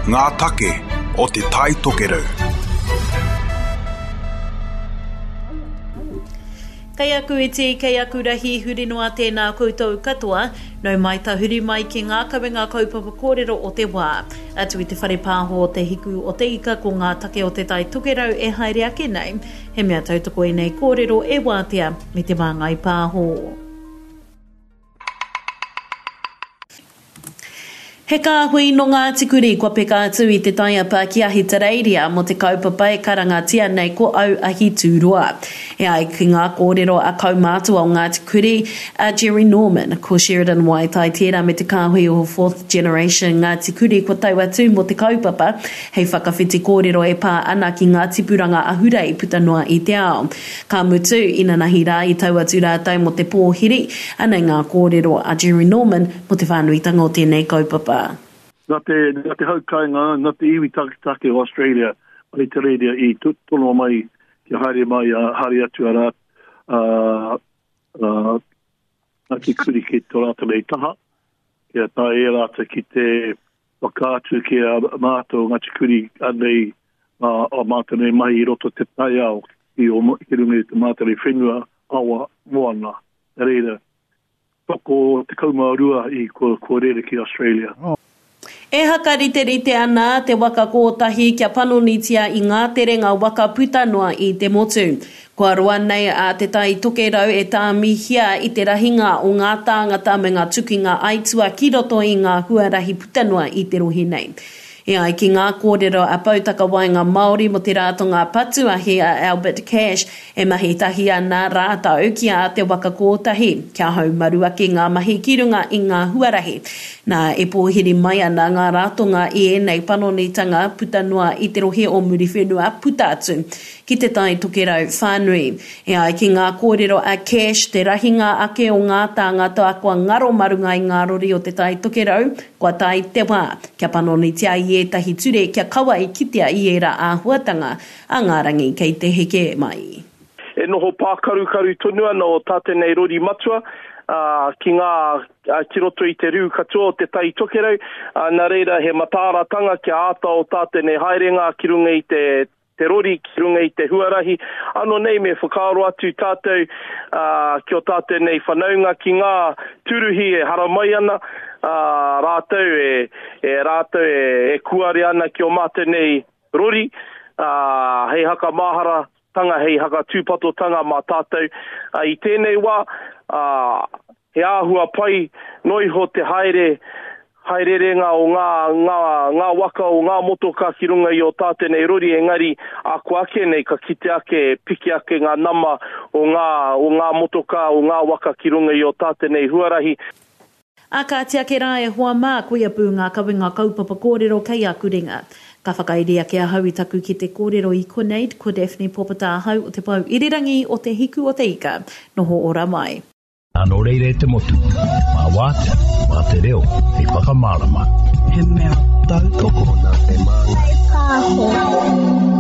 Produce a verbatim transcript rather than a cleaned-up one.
Ngā take o Te Tai Tokerau. Kei aku iti, kei aku rahi, huri noa tēnā koutou katoa, nau mai tahuri mai ki ngā kawenga kaupapa kōrero o te wā. Atu i te whare pāho o Te Hiku o Te Ika ko ngā take o Te Tai Tokerau e haere ake nei, he mea tautoko ēnei kōrero e wātea me Te Māngai Pāho. He kāhui nō Ngāti Kuri kua peka atu i te taiapa ki Ahitereiria mō te kaupapa e karangatia nei ko Au Ahi Tūroa. E ai ki ngā kōrero a kaumātua o Ngāti Kuri, a Jerry Norman, ko Sheridan Waitai tērā me te kāhui o Fourth Generation Ngāti Kuri kua tau atu mō te kaupapa hei whakawhiti kōrero e pā ana ki ngā tipuranga ahurei puta noa i te ao. Ka mutu, inanahi rā i tau atu rātou mō te pōhiri, anei ngā kōrero a Jerry Norman mō te whānuitanga o tēnei kaupapa. Nā te, nā te hau kāinga, nā te iwi taketake o Australia, Ahitereiria i tono mai kia haere mai, uh, haere atu a rā, uh, uh, Ngāti Kuri ki tō rātou nei taha, kia tae e rātou ki te whakaatu ki a mātou Ngāti Kuri anei uh, o mātou nei mahi i roto te taiao ki, o, ki runga i te mātou nei whenua, awa, moana. Nā reira, toko tekau mā rua i kua, kua rere ki Australia. Oh. E hakariterite ana te waka kōtahi kia panonitia i ngā terenga waka puta noa i te motu. Kua roa nei a Te Tai Tokerau e tāmihia i te rahinga o ngā tāngata me ngā tukinga aitua ki roto i ngā huarahi puta noa i te rohe nei. E ai ki ngā kōrero a Poutakawaenga Māori mō te Ratonga Patu Ahi a Albert Cash, e mahi tahi ana rātou ki a Te Waka Kōtahi, kia haumaru ake ngā mahi ki runga i ngā huarahi. Nā, e pōhiri mai ana ngā ratonga i ēnei panonitanga puta noa i te rohe o Muriwhenua puta atu ki Te Tai Tokerau whānui. E ai ki ngā kōrero a Cash, te rahinga ake o ngā tāngata kua ngaro mā runga i ngā rori o Te Tai Tokerau, kua tae te wā kia panonitia i ētahi ture kia kaua e kitea i ērā āhuatanga a ngā rangi kei te heke mai. E noho pākarukaru tonu ana o tā tēnei rori matua, ā, ki ngā, ā, ki roto i te riu katoa o Te Tai Tokerau, ā, nā reira he mataaratanga kia āta o tā tēnei haerenga ki runga i te, te rori, ki runga i te huarahi. Ano nei me whakaaro atu tātou, ā, ki o tātou nei whanaunga ki ngā tūruhi e haramai ana, ā, rātou e, e rātou e, e kuare ana ki o mātou nei rori, ā, hei hakamāharatanga, hei hakatūpatotanga mā tātou. Ā, i tēnei wā, ā, he āhua pai noa iho te haere, haererenga o ngā, ngā, ngā waka o ngā motoka ki runga i o tātou nei rori, engari ako ake nei ka kite ake, piki ake ngā nama o ngā, o ngā motoka, o ngā waka ki runga i o tātou nei huarahi. Ā kāti ake rā e hoa mā, koia pū ngā kawenga kaupapa kōrero kei aku ringa. Ka whakairi ake ahau i taku kete kōrero i konei, ko Daphne Popata ahau o Te Pou Irirangi o Te Hiku o Te Ika. Noho ora mai. Nō reira e te motu, mā wātea, mā te reo hei whakamārama. He mea tautoko nā Te Māngai Pāho.